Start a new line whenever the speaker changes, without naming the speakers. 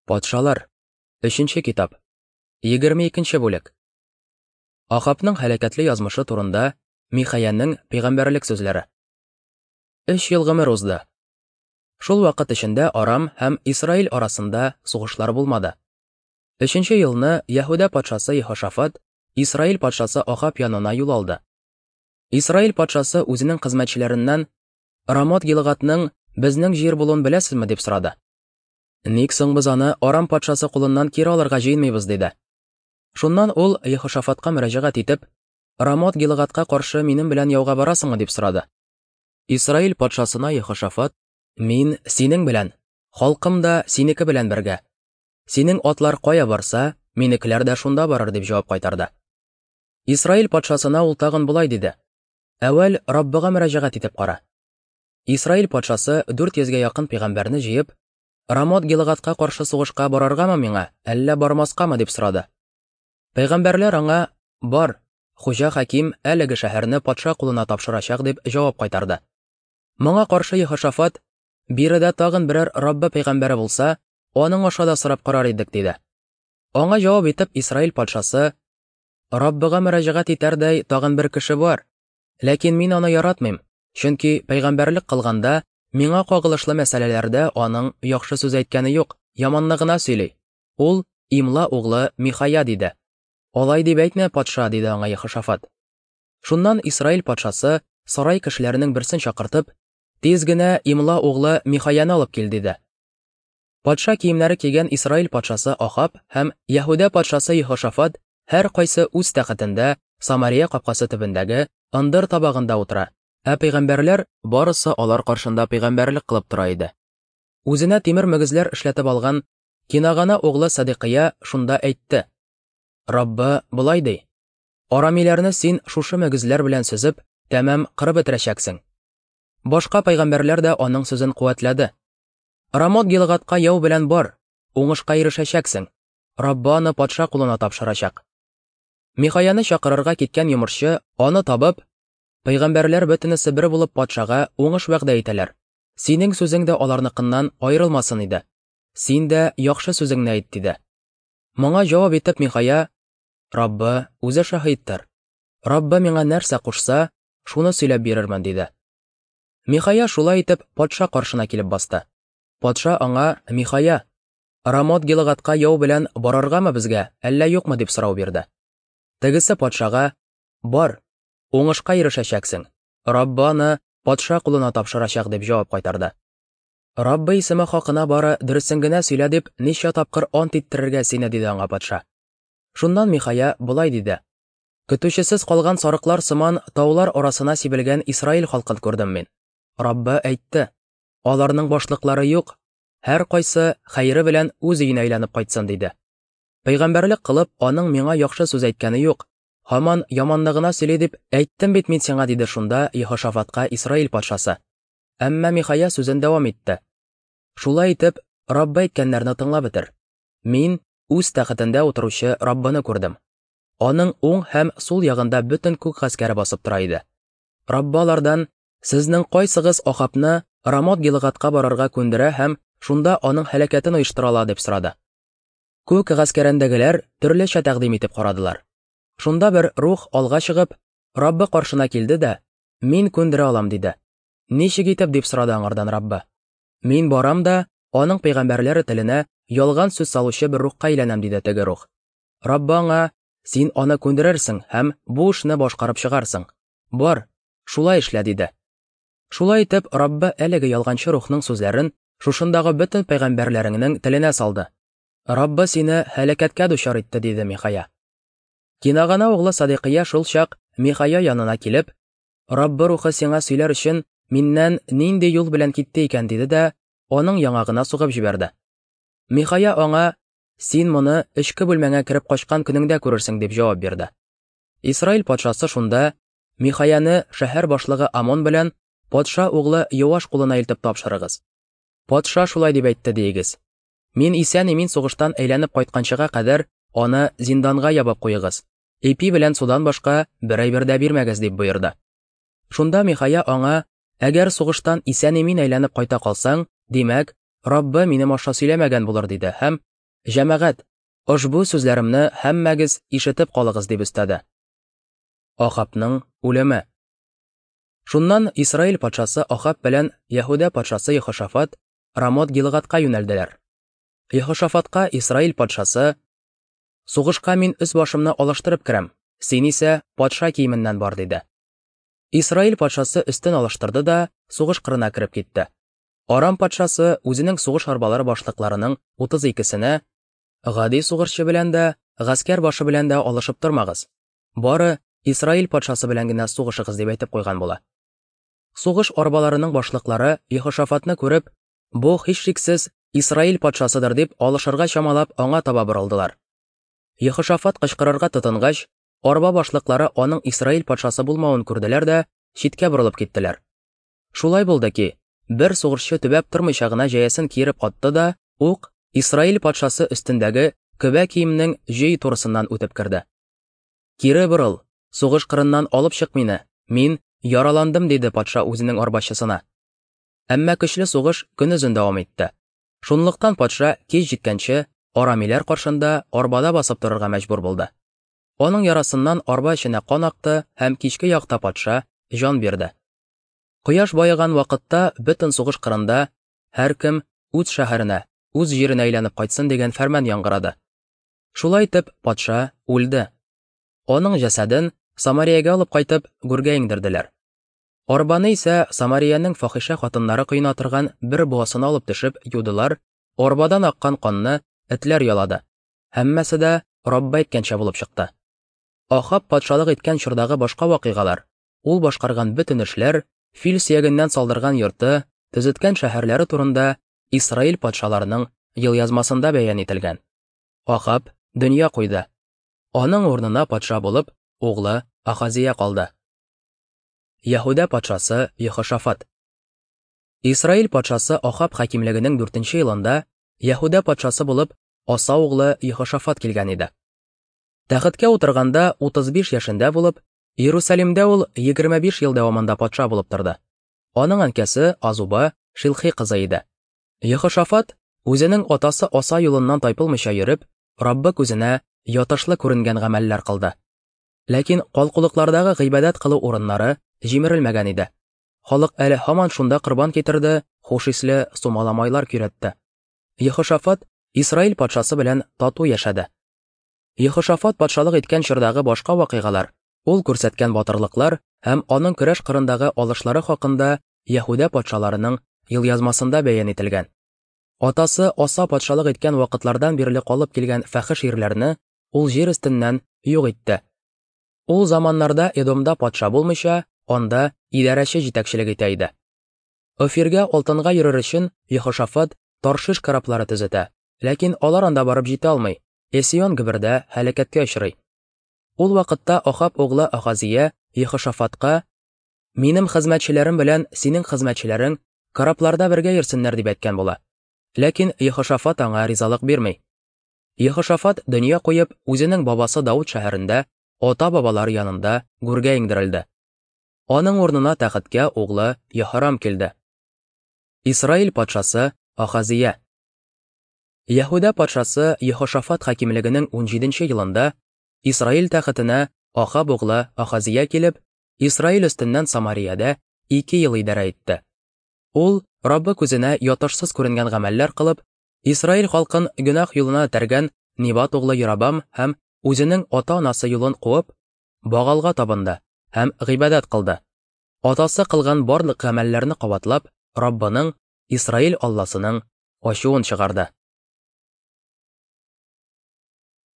Патшалар. Өченче китап. 22 бүлек. Ахабның һәлакәтле язмышы турында Михаянең пәйгамбәрлек сүзләре. Өч ел гомер узды. Шул вакыт эчендә Арам һәм Исраил арасында сугышлар булмады. Өченче елны Яһүдә патшасы Ехошафат Исраил патшасы Ахаб янына юл алды. Исраил патшасы үзенең хезмәтчеләреннән Рамот Гилгатның безнең җир булуын беләсезме дип сорады. Ник соң без аны Арам патшасы кулыннан кире алырга җыенмыйбыз, диде. Шуннан ул Ехошафатка мөрәҗәгать итеп, Рамот Гилгатка каршы минем белән яуга барасыңмы, дип сорады. Исраил патшасына Ехошафат, Мин синең белән, халкым да синеке белән бергә. Синең атлар кая барса, минекеләр дә шунда барыр, дип җавап кайтарды. Исраил патшасына ул тагын болай диде: Әүвәл Раббыга мөрәҗәгать итеп кара. Исраил патшасы 400 гә якын пәйгамбәрне җыеп, Рамот Гилгатка каршы сугышка барыргамы миңа, әллә бармаскамы дип сорады. Пәйгамбәрләр аңа, Бар, хуҗа хаким әлеге шәһәрне патша кулына тапшырачак дип җавап кайтарды. Моңа каршы Ехошафат, Биредә тагын берәр Раббы пәйгамбәре булса, аның аша да сорап карар идек, диде. Аңа җавап итеп Исраил патшасы, Раббыга мөрәҗәгать итәрдәй тагын бер кеше бар, ләкин мин аны яратмыйм, чөнки пәйгамбәрлек кылганда миңа кагылышлы мәсьәләләрдә аның яхшы сүз әйткәне юк, яманны гына сөйли. Ул Имла углы Михая, диде. Алай дип әйтмә, патша, диде аңа Ехошафат. Шуннан Исраил патшасы сарай кешеләренең берсен чакыртып, тиз генә Имла углы Михаяны алып кил, диде. Патша киемнәре кигән Исраил патшасы Ахаб һәм Яһүдә патшасы Ехошафат һәркайсы үз тәхетендә Самария капкасы төбендәге ындыр табагында утыра, ә пәйгамбәрләр барысы алар каршында пәйгамбәрлек кылып тора иде. Үзенә тимер мөгезләр эшләтеп алган Кинагана углы Садикыя шунда әйтте: Раббы болай ди: Арамиләрне син шушы мөгезләр белән сөзеп, тәмам кырып бетерәчәксең. Башка пәйгамбәрләр дә аның сүзен куәтләде. Рамот Гилгатка яу белән бар, уңышка ирешәчәксең. Раббы аны патша кулына тапшырачак. Михаяны чакырырга киткән йомышчы аны табып, пәйгамбәрләр бөтенесе бер булып патшага уңыш вәгъдә итәләр. Синең сүзең дә аларныкыннан аерылмасын иде. Син дә яхшы сүзеңне әйт, диде. Моңа җавап итеп Михая, Раббы үзе шаһиттыр. Раббы миңа нәрсә кушса, шуны сөйләп бирермен, диде. Михая шулай итеп патша каршына килеп басты. Патша аңа, Михая, Рамот Гилгатка яу белән барыргамы безгә, әллә юкмы дип сорау бирде. Тегесе патшага, Бар, уңышка ирешәчәксең. Раббы аны патша кулына тапшырачак дип җавап кайтарды. Раббы исеме хакына бары дөресен генә сөйлә дип ничә тапкыр ант иттерергә сине, диде аңа патша. Шуннан Михая болай диде: Көтүчесез калган сарыклар сыман таулар арасына сибелгән Исраил халкын күрдем мин. Раббы әйтте: Аларның башлыклары юк, һәркайсы хәере белән үз өенә әйләнеп кайтсын, диде. Пәйгамбәрлек кылып, аның миңа яхшы сүз әйткәне юк, һаман яманны гына сөйли дип әйттем бит мин сиңа, диде шунда Ехошафатка Исраил патшасы. Әмма Михая сүзен дәвам итте. Шулай итеп, Раббы әйткәннәрне тыңлап бетер. Мин үз тәхетендә утыручы Раббыны күрдем. Аның уң һәм сул ягында бөтен күк гаскәре басып тора иде. Раббы алардан, Сезнең кайсыгыз Ахабны Рамот Гилгатка барырга күндерә һәм шунда аның һәлакәтен оештыра ала, дип сорады. Күк гаскәрендәгеләр төрлечә тәкъдим итеп карадылар. Шунда бер рух алга чыгып, Раббы каршына килде дә, Мин күндерә алам, диде. Ничек итеп, дип сорады аңардан Раббы. Мин барам да, аның пәйгамбәрләре теленә ялган сүз салучы бер рухка әйләнәм, диде теге рух. Раббы аңа, Син аны күндерерсең һәм бу эшне башкарып чыгарсың. Бар, шулай эшлә, диде. Шулай итеп, Раббы әлеге ялганчы рухның сүзләрен шушындагы бөтен пәйгамбәрләреңнең теленә салды. Раббы сине һәлакәткә дучар итте, диде Михая. Кинагана углы Садикыя шул чак Михая янына килеп, Раббы рухы сиңа сөйләр өчен миннән нинди юл белән китте икән, диде дә, аның яңагына сугып җибәрде. Михая аңа, Син моны эчке бүлмәңә кереп качкан көнеңдә күрерсең, дип җавап бирде. Исраил патшасы шунда Михаяны шәһәр башлыгы Амон белән патша углы Йоаш кулына илтеп тапшырыгыз. Патша шулай дип әйтте диегез. Мин исән-имин сугыштан әйләнеп кайтканчыга кадәр аны зинданга ябып куегыз. Ипи белән судан башка бер әйбер дә бирмәгез, дип боерды. Шунда Михая аңа, Әгәр сугыштан исән-имин әйләнеп кайта калсаң, димәк, Раббы минем аша сөйләмәгән булыр, диде һәм Җәмәгать, ошбу сүзләремне һәммәгез ишетеп калыгыз, дип өстәде. Ахабның үлеме. Шуннан Исраил патшасы Ахаб белән Яһүдә патшасы Ехошафат Рамот-Гилгадка юнәлделәр. Ехошафатка Исраил патшасы: Сугышка мин өс-башымны алыштырып керәм, син исә патша киеменнән бар, диде. Исраил патшасы өстен алыштырды да сугыш кырына кереп китте. Арам патшасы үзенең сугыш арбалары башлыкларының 32-сенә, Гади сугышчы белән дә, гаскәр башы белән дә алышып тормагыз. Бары Исраил патшасы белән генә сугышыгыз, дип әйтеп куйган була. Сугыш арбаларының башлыклары Ехошафатны күреп, бу һичшиксез Исраил патшасыдыр дип алышырга чамалап аңа таба борылдылар. Ехошафат кычкырырга тотынгач, арба башлыклары аның Исраил патшасы булмавын күрделәр дә читкә борылып киттеләр. Шулай булды ки, бер сугышчы төбәп тормыйча гына җәясен киереп атты да, ук Исраил патшасы өстендәге көбә киемнең җөй турысыннан үтеп керде. Кире борыл, сугыш кырыннан алып чык мине, мин яраландым, диде патша үзенең арбачысына. Әмма көчле сугыш көнозын дәвам итте. Шунлыктан патша кич җиткәнче арамиләр каршында арбада басып торырга мәҗбүр булды. Аның ярасыннан арба эченә кан акты һәм кичке якта патша җан бирде. Кояш баеган вакытта бөтен сугыш кырында һәркем үз шәһәренә, үз җиренә әйләнеп кайтсын дигән фәрман яңгырады. Шулай итеп, патша үлде. Аның җәсәден Самариягә алып кайтып, гүргә иңдерделәр. Арбаны исә Самариянең фахишә хатыннары коена торган бер буасына алып төшеп юдылар, арбадан аккан канны этләр ялады. Һәммәсе дә Раббы әйткәнчә булып чыкты. Ахаб патшалык иткән чордагы башка вакыйгалар, ул башкарган бөтен эшләр, фил сөягеннән салдырган йорты, төзеткән шәһәрләре турында Исраил патшаларының елъязмасында бәян ителгән. Ахаб дөнья куйды. Аның урынына патша булып углы Ахазия калды. Яһүдә патшасы Ехошафат. Исраил патшасы Ахаб хакимлегенең 4 елында Яһүдә патшасы булып Аса углы Ехошафат килгән иде. Тәхеткә утырганда 35 яшендә булып, Иерусалимдә ул 25 ел дәвамында патша булып торды. Аның әнкәсе Азуба Шилхи кызы иде. Ехошафат үзенең атасы Аса юлыннан тайпылмыйча йөреп, Раббы күзенә ятышлы күренгән гамәлләр кылды. Ләкин калкулыклардагы гыйбадәт кылу урыннары җимерелмәгән иде. Халык әле һаман шунда корбан китерде, хуш исле сумала-майлар көйрәтте. Ехошафат Исраил патшасы белән тату яшәде. Ехошафат патшалык иткән чордагы башка вакыйгалар, ул күрсәткән батырлыклар һәм аның көрәш кырындагы алышлары хакында Яһүдә патшаларының елъязмасында бәян ителгән. Атасы Аса патшалык иткән вакытлардан бирле калып килгән фәхеш ирләрне ул җир өстеннән юк итте. Ул заманнарда Эдомда патша булмыйча, анда идарәче җитәкчелек итә иде. Офиргә алтынга йөрер өчен Ехошафат Таршиш кораблары төзетә, ләкин алар анда барып җитә алмый, Эсион Гебердә һәлакәткә очрый. Ул вакытта Ахаб углы Ахазия Ехошафатка: Минем хезмәтчеләрем белән синең хезмәтчеләрең корабларда бергә йөрсеннәр, дип әйткән була. Ләкин Ехошафат аңа ризалык бирми. Ехошафат дөнья куеп, үзенең бабасы Дауд шәһәрендә ата-бабалары янында гүргә иңдерелде. Аның урынына тәхеткә углы Яһорам килде. Исраил патшасы Ахазия. Яһүдә патшасы Ехошафат хакимлегенең 17 елында Исраил тәхетенә Ахаб углы Ахазия килеп, Исраил өстеннән Самариядә 2 ел идарә итте. Ул Раббы күзенә ятышсыз күренгән гамәлләр кылып, Исраил халкын гөнаһ юлына этәргән Нибат углы Ярабам һәм үзенең ата-анасы юлын куып, Багалга табынды һәм гыйбадәт кылды. Атасы кылган барлык гамәлләрне кабатлап, Раббының, Исраил Алласының ачуын чыгарды.